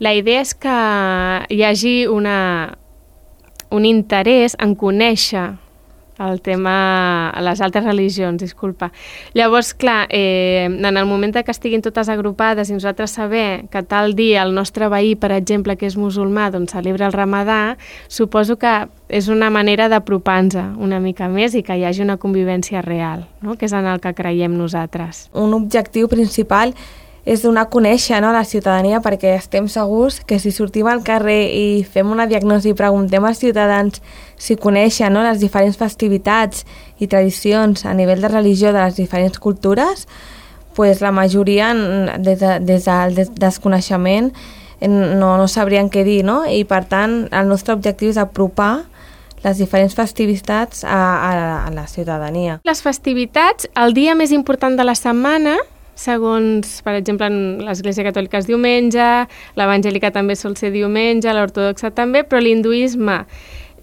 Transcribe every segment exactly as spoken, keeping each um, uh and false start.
La idea és que hi hagi una, un interès en conèixer el tema, les altres religions, disculpa. Llavors, clar, eh, en el moment que estiguin totes agrupades i nosaltres saber que tal dia el nostre veí, per exemple, que és musulmà, doncs celebra el Ramadà, suposo que és una manera d'apropar-nos una mica més i que hi hagi una convivència real, no? Que és en el que creiem nosaltres. Un objectiu principal és donar a conèixer, no, a la ciutadania, perquè estem segurs que si sortim al carrer i fem una diagnosi i preguntem als ciutadans si coneixen, no, les diferents festivitats i tradicions a nivell de religió de les diferents cultures, pues la majoria des, de, des del desconeixement no, no sabrien què dir, no? I per tant el nostre objectiu és apropar les diferents festivitats a, a, a la ciutadania. Les festivitats, el dia més important de la setmana, segons, per exemple, en l'Església Catòlica és diumenge, l'Evangèlica també sol ser diumenge, l'Ortodoxa també, però l'hinduisme,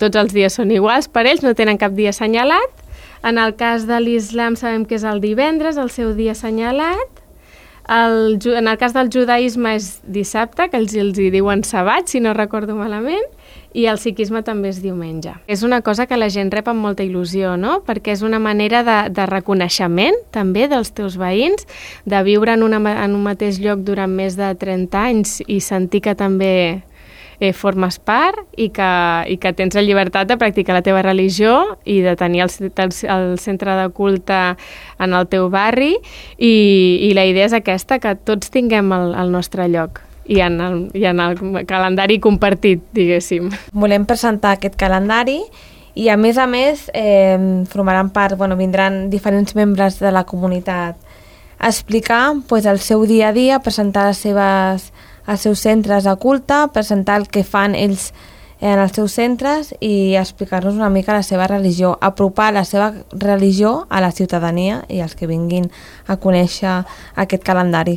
tots els dies són iguals per ells, no tenen cap dia assenyalat. En el cas de l'Islam sabem que és el divendres, el seu dia assenyalat. El, en el cas del judaïsme és dissabte, que els, els hi diuen sabat, si no recordo malament, i el sikhisme també és diumenge. És una cosa que la gent rep amb molta il·lusió, no? Perquè és una manera de, de reconeixement també dels teus veïns, de viure en, una, en un mateix lloc durant més de trenta anys i sentir que també eh, formes part i que, i que tens la llibertat de practicar la teva religió i de tenir el, el, el centre de culte en el teu barri i, i la idea és aquesta, que tots tinguem el, el nostre lloc. I en, el, i en el calendari compartit, diguéssim. Volem presentar aquest calendari i, a més a més, eh, formaran part, bueno, vindran diferents membres de la comunitat a explicar pues, el seu dia a dia, presentar les seves, els seus centres de culte, presentar el que fan ells en els seus centres i explicar-nos una mica la seva religió, apropar la seva religió a la ciutadania i als que vinguin a conèixer aquest calendari.